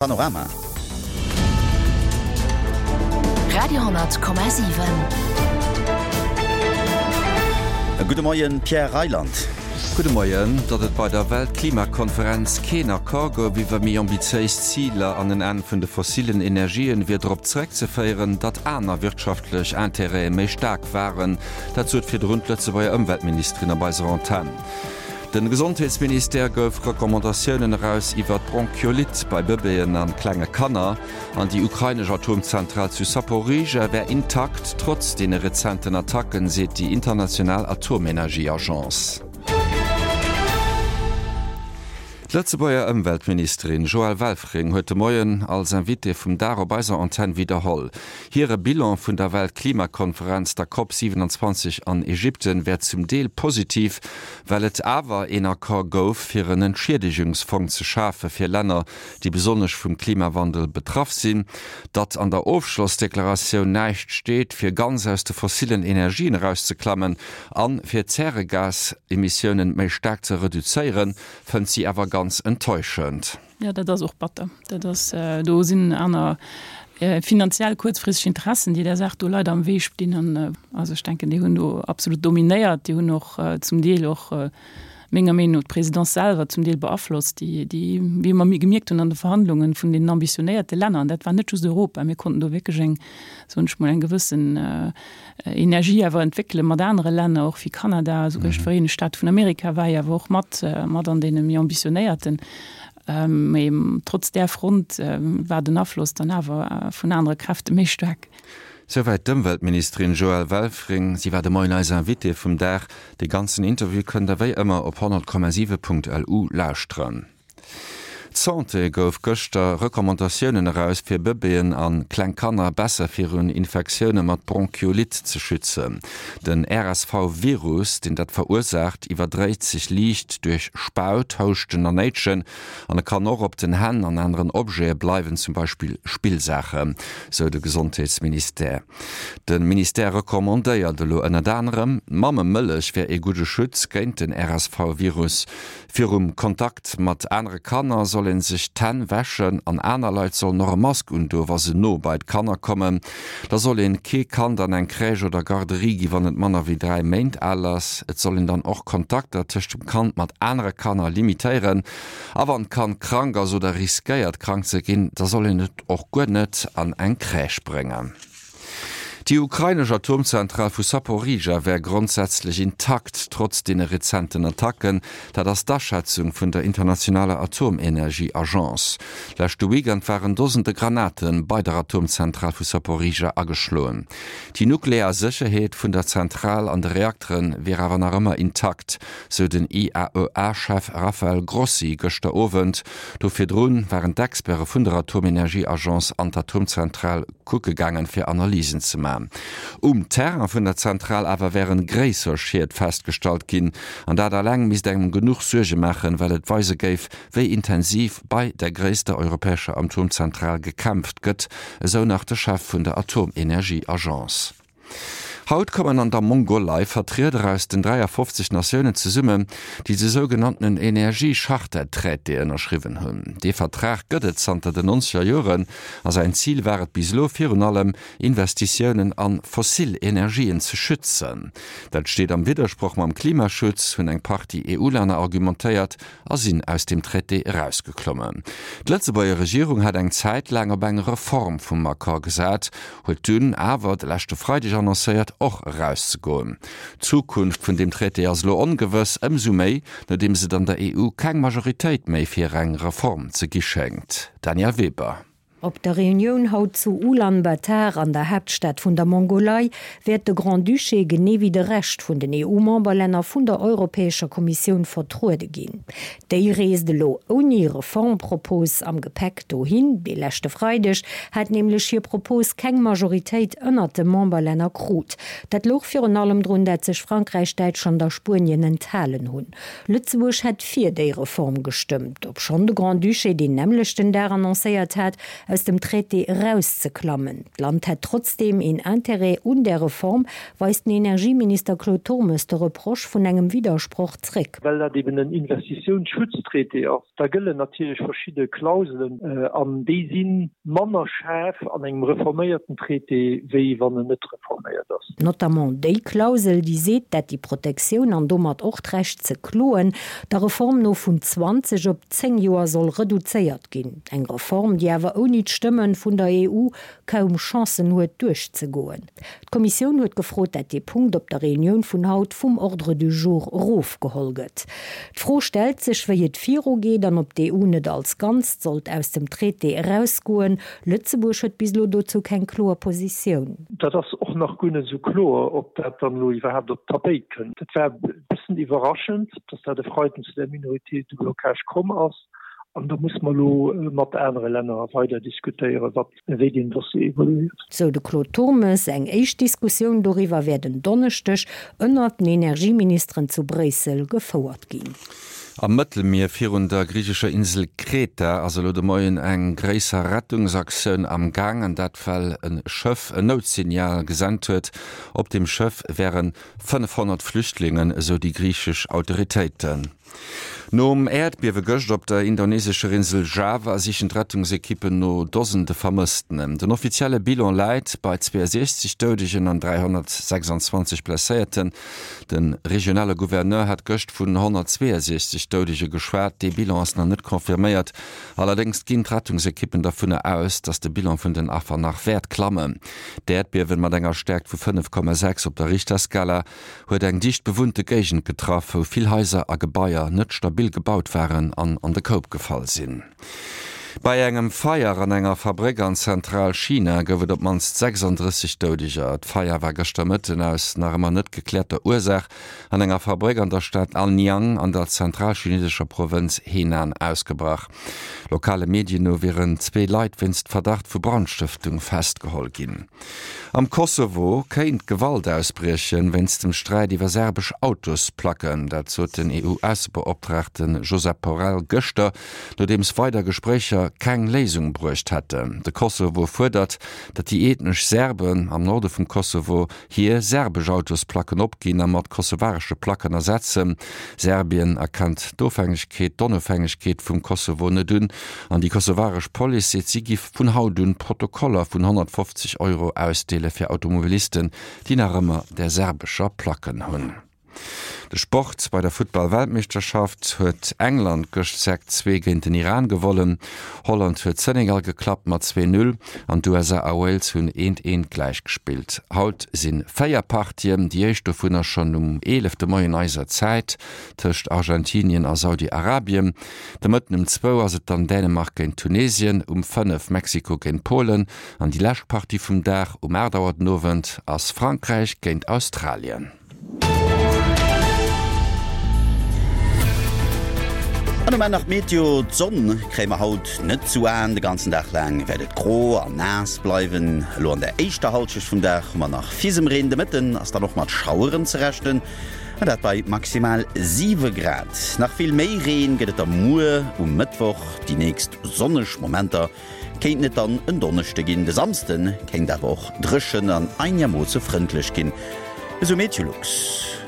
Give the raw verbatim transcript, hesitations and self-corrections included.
Panorama. Radio honnert Komma siwen. Gudde Moien, Pierre Reyland. Gudde Moien. Datt et bei der Weltklimakonferenz keen Accord gouf iwwer méi ambitiéis Ziler an en Enn vun de fossillen Energien, wier drop zeréckzeféieren, datt aner wirtschaftlech Intérêtë méi staark waren. Dat sot virdrun d'Lëtzebuerger Ëmweltministerin op eiser Antenn. De Gesondheetsministère gouf Recommandatiounen eraus iwwer d'Bronchiolite bei Bëbeeën an klenge Kanner. An déi ukrainesch Atomzentral zu Saporizhzhia wär intakt, trotz deene rezenten Attacken, seet déi international Atomenergieagence. D'Lëtzebuerger Ëmweltministerin Joëlle Welfring huet de Moien als Invitée vum Dag op eiser Antenn widderholl, hire Bilan vun der Weltklimakonferenz, der Cop siewenundzwanzeg an Ägypten, wär zum Deel positiv, well et awer een Accord gouf, fir en Entschiedegungsfong ze schafe fir Länner, déi besonnesch vum Klimawandel betraff sinn. Datt an der Ofschlossdeklaratioun näischt steet, fir ganz aus de fossillen Energien erauszeklammen an fir d'Zäregasemissiounen méi staark ze reduzéieren, fënnt si awer ganz enttäuschend. Jo, dat ass och batter. Dat ass, do sinn aner finanziell kuerzfristeg Interessen, déi där Saach do leider am Wee stinn. An also ech denken, déi hunn do absolut dominéiert. Déi hunn och zum Deel och menger Meenung no d'Présidence selwer zum Deel beaflosst, déi, déi, wéi mer gemierkt hunn an de Verhandlungen vun deenen ambitionéierte Länner, an dat war net just Europa, mir konnten do wierklech eng, soen ech mol, eng gewëssen Energie awer entwéckele mat anere Länner, och wéi Kanada, esouguer d'Vereenegt Staate vun Amerika war jo awer och mat, mat an deene méi ambitionéierten. Mee trotz där Front war den Afloss dann awer vun anere Kräfte méi staark. Souwäit d'Ëmweltministerin Joëlle Welfring. Si war de Moien eis Invitée vum Dag. De ganzen Interview kënnt der wéi ëmmer op honnert Komma siwe Punkt L U lauschteren. D'Santé gouf gëschter Recommandatiounen eraus, fir Bëbeeën a kleng Kanner besser virun Infektioune mat Bronchiolite ze schützen. Den R S V Virus, deen dat verursaacht, iwwerdréit sech liicht duerch Spaut, Houschten an Néitschen an e kann och op den Hänn an aneren Objete bleiwen, zum Beispill Spillsaachen, sou de Gesondheetsministère. De Ministère recommandéiert elo ënnert anerem, D'Mammemëllech wär ee gudde Schutz géint den R S V Virus. Virum Kontakt mat anere Kanner soll ee sech d'Hänn wäschen an aner Leit sollen och e Mask undoen, wa se no bei d'Kanner kommen. Da soll een kee Kand an eng Crèche oder Garderie gi wann et manner wéi dräi Méint al ass. Et soll een dann och Kontakter tëscht dem Kand mat anere Kanner limitéieren. A wann d'Kand krank ass oder riskéiert krank ze ginn, da soll een et och guer net an eng Crèche bréngen. Déi ukrainesch Atomzentral vu Saporizhzhia wär grondsätzlech intakt, trotz deene rezenten Attacken. Dat ass d'Aschätzung vun der internationaler Atomenergie-Agence. Leschte Weekend waren Dosende Granate bei der Atomzentral vu Saporizhzhia ageschloen. Déi nuklear Sécherheet vun der Zentral an de Reaktere wier awer nach ëmmer intakt, sou den I A E A-Chef Rafael Grossi gëschter Owend. Do virdrun waren d'Experte vun der Atomenergie-Agence an d'Atomzentral kucke gaangen, fir Analysen ze man. Um Terrain vun der Zentral awer wären gréisser Schied festgestallt ginn, an dat alleng misst engem genuch Suerge maachen, well et weise géif, wéi intensiv bei der gréisster europäescher Atomzentral gekämpft gëtt, esou nach de Chef vun der Atomenergie-Agence. Haut kommen an der Mongolei Vertrieder aus den dräiafofzeg Natiounen zesummen, déi de sougenanntenen Energiecharta-Traité ënnerschriwwen hunn. Dee Vertrag gëtt et zanter den nonzeger Joren a säin Zil war et bis elo virun allem, Investitiounen a fossil Energien ze schützen. Dat steet am Widdersproch mam Klimaschutz, hunn eng Partie E U-Länner argumentéiert a sinn aus dem Traité erausgeklommen. D'Lëtzebuerger Regierung hat eng Zäit laang op eng Reform vum Accord gesat, huet dunn awer de leschte Freideg annoncéiert, och erauszegoen. D'Zukunft vun deem Traité ass elo ongewëss, ëmsou méi, nodeems et an der E U keng Majoritéit méi fir eng Reform ze gi schéngt. Danièle Weber. Op der Reunioun haut zu Ulaanbaatar, an der Haaptstad vun der Mongolei, wäert de Grand-Duché genee wéi de Rescht vun den E U-Memberlänner vun der Europäescher Kommissioun vertruede ginn. Déi reest elo ouni Reformpropos am Gepäck dohin. De leschte Freideg hat nämlech hir Propos keng Majoritéit ënnert de Memberlänner krut. Dat louch virun allem drun, dat sech Frankräich, Däitschland a Spuenien enthalen hunn. Lëtzebuerg hätt fir déi Reform gestëmmt, obschonn de Grand-Duché deen nämmlechten Dag annoncéiert hat, aus dem Traité erauszeklammen. D'Land hätt trotzdeem een Interêt un där Reform, weist den Energieminister Claude Turmes de Reproche vun engem Widdersproch zréck. Well dat eben en Investitiounsschutztraité ass, da gëllen natierlech verschidde Klauselen an déi si manner schaarf an engem reforméierten Traité, wéi wann en net reforméiert ass. Notamment déi Klausel, déi seet, dat déi Protektioun an domat och d'Recht ze kloen, der Reform no vun zwanzeg op zéng Joer soll reduzéiert ginn. Eng Reform, déi awer ouni d'Stëmme vun der E U kaum Chancen huet duerchzegoen. D'Kommissioun huet gefrot, dat dee Punkt op der Reunioun vun haut vum Ordre du jour erofgeholl gëtt. D'Fro stellt sech, wéi et virugeet an ob d'E U net als Ganzt sollt aus dem Traité erausgoen. Lëtzebuerg huet bis elo dozou keng kloer Positioun. Dat ass och nach guer net esou kloer, ob dat dann elo iwwerhaapt op d'Tapéit kënnt. Et war e bëssen iwwerraschend, datt dat e Freiden zu där Minorité de blocage komm ass. An do muss mer elo mat anere Länner weider diskutéieren, wat, wéi deen Dossier evoluéiert. Sou de Claude Turmes. Eng éischt Diskussioun doriwwer wäert en Donneschdeg ënnert den Energieministeren zu Bréissel gefouert ginn. Am Mëttelmier virun der griichescher Insel Kreta ass elo de Moien eng gréisser Rettungsaktioun am Gaangen, dat well e Schëff en Noutsignal gesent huet. Op dem Schëff wäre fënnefhonnert Flüchtlingen, esou déi griichesch Autoritéiten. Nom Äerdbiewe gëscht op der indonesescher Insel Java sichen d'Rettungsekippen no Dosende Vermëssten. Den offizielle Bilan läit bei zweeënsiechzeg Doudegen an dräihonnertsechsanzwanzeg Blesséierten. De regionale Gouverneur hat gëscht vun honnertzweeënsiechzeg Doudege geschwat. Dee Bilan ass nach net confirméiert. Allerdéngs ginn d'Rettungsekippen dovunner aus, datt de Bilan vun den Affer nach wäert klammen. D'Äerdbiewen mat enger Stäerkt vu fënnef Komma sechs op der Richterskala huet eng dicht bewunnte Géigend getraff, wou vill Haiser a Gebaier net stabil gebaut waren an an de Koup gefall sinn. Bei engem Feier an enger Fabréck an Zentral-China gouf et op d'mannst sechsanddrësseg Doudeger. D'Feier war gëschter Mëtten aus nach ëmmer net gekläerter Ursaach an enger Fabréck an der Stad Anyang an der zentralchinesescher Provënz Henan ausgebrach. Lokale Medien no wieren zwee Leit wéinst Verdacht vu Brandstëftung festgeholl ginn. Am Kosovo kéint Gewalt ausbriechen, wéinst dem Sträit iwwer serbesch Autosplacken. Dat sot den E U-Aussebeoptraagte Josep Borrell gëschter, nodeems weider Gespréicher keng Léisung bruecht hätten. De Kosovo fuerdert, datt déi ethnesch Serben am Norde vum Kosovo hir serbesch Autosplacken opginn a mat kosovaresche Placken ersetzen. Serbien erkennt d'Ofhängegkeet d'Onofhängegkeet vum Kosovo net un an déi kosovaresch Police seet, si giff vun haut un Protokoller vun honnertfofzeg Euro ausdeele fir Automobilisten, déi nach ëmmer där serbescher Placken hunn. De Sport, Bei der Futtball-Weltmeeschterschaft huet England gëscht sechs, zwee géint den Iran gewonnen. Holland huet Senegal geklappt mat zwee, null an d'U S A a Wales hunn eent, eent gläich gespillt. Haut si véier Partien, déi éischt dovunner schonn um eelef de Moien eiser Zäit tëscht Argentinien a Saudi-Arabien. De Mëtten um zwou ass et dann Dänemark géint Tunesien, um fënnef Mexiko géint Polen an déi lescht Partie vum Dag um aacht Auer den Owend ass Frankräich géint Australien. An um Enn nach d'Meteo, D'Sonn kréie mer haut net zu Aen, de ganzen Dag laang wäert et gro an naass bleiwen. Elo an der éischter Hallschecht vum Dag hu mer nach Fisemreen, de Mëtten ass dann och mat Schaueren ze rechnen, an dat bei maximal siwe Grad. Nach vill méi Reen gëtt et da muer um Mëttwoch, déi nächst sonneg Momenter kéinten et dann en Donneschde ginn. De Samsde kéint awer och dréchen an einermoosse frëndlech ginn, esou Meteolux.